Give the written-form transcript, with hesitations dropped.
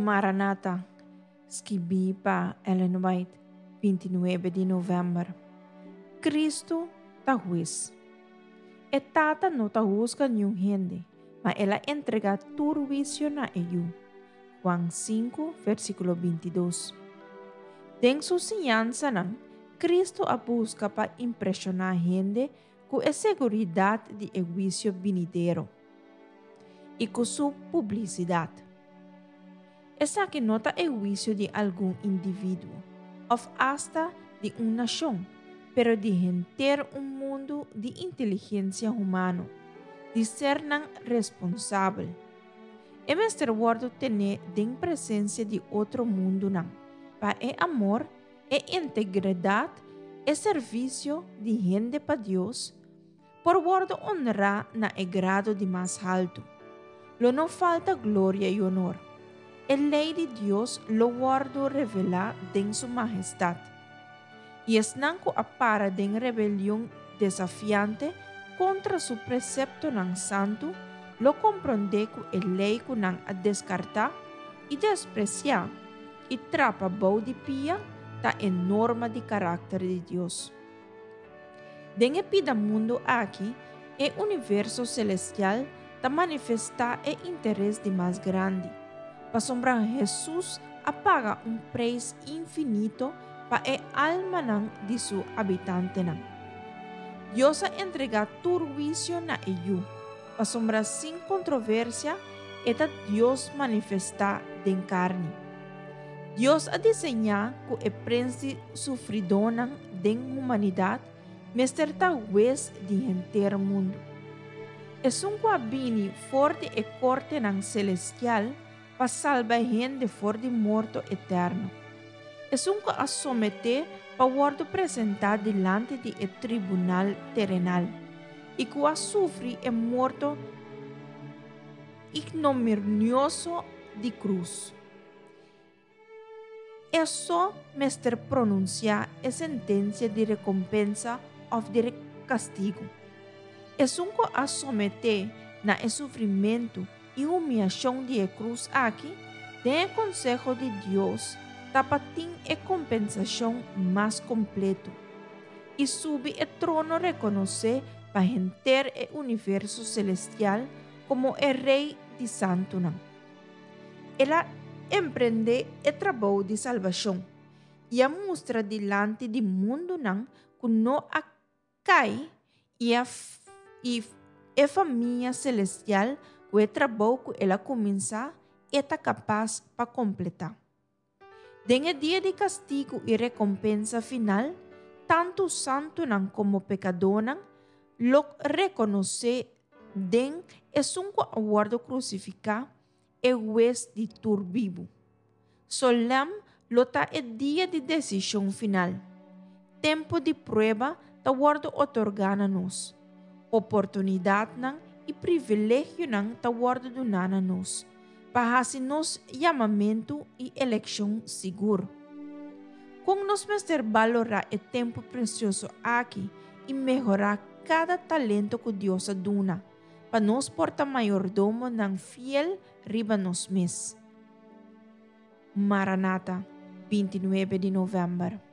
Maranata, skibí pa Ellen White, 29 di novèmber. Kristu ta hues. E Tata no ta husga niun hende, ma el a entregá tur huisio na e Yu. Juan 5, versíkulo 22. Den su siñansanan, Kristu a buska pa impreshoná hende ku e seguridat di e huisio binidero i ku su publisidat. Esaki no ta e huisio di algun individuo òf asta di un nashon, pero di henter un mundu di inteligensia humano, di sernan responsabel. E mester wòrdu tené den presensia di otro mundunan, pa e amor, e integridat, e servisio di hende pa Dios, por wòrdu onrá na e grado di mas haltu. Lo no falta gloria i onor. E lei di Dios lo wòrdu revelá den su mahestat. I esnan ku a para den rebelion desafiante kontra su preseptonan santu lo komprondé ku e lei ku nan a deskartá i despresiá i trapa bou di pia ta e norma di karakter di Dios. Den e pida mundu aki, e universo selestial ta manifestá e interes di mas grandi, pasobra Hesus a paga un preis infinito pa e almanan di su habitantenan. Dios a entregá tur huisio na e Yu, pasobra sin kontroversia e ta Dios manifestá den karni. Dios a diseñá ku e prens di sufridónan den humanidat mester ta hues di henter mundu. Esun ku a bini for di e kortenan selestial pa salba hende for di morto eterno. Esun ku a someté pa wòrdu presentá dilanti di e tribunal terenal i ku a sufri e morto ignominioso di krus. E so mester pronunsiá e sentensia di rekompensa òf di kastigu. Esun ku a someté na e sufrimentu i humiashon di e krus aki, den e konseho di Dios ta pa tin e kompensashon mas kompletu i subi e trono rekonosé pa henter e universo selestial komo e Rei di santunan. El a emprendé e trabou di salbashon i a mustra dilanti di mundunan ku no a kai i a i e famia selestial ku e trabou ku el a kuminsá e ta kapas pa kompletá. Den e dia di kastigu i rekompensa final, tantu santunan komo pekadónan lo rekonosé den esun ku a wòrdu krusifiká e Hues di tur bibu. Solèm lo ta e dia di desishon final. Tempu di prueba ta wòrdu otorgá na nos. Oportunidatnan i privilegionan ta wòrdu duná na nos pa hasi nos yamamentu i elekshon sigur. Kon nos mester balorá e tempu presioso aki i mehorá kada talento ku Dios a duna pa nos por ta mayordomonan fiel riba nos mes? Maranata, 29 di novèmber.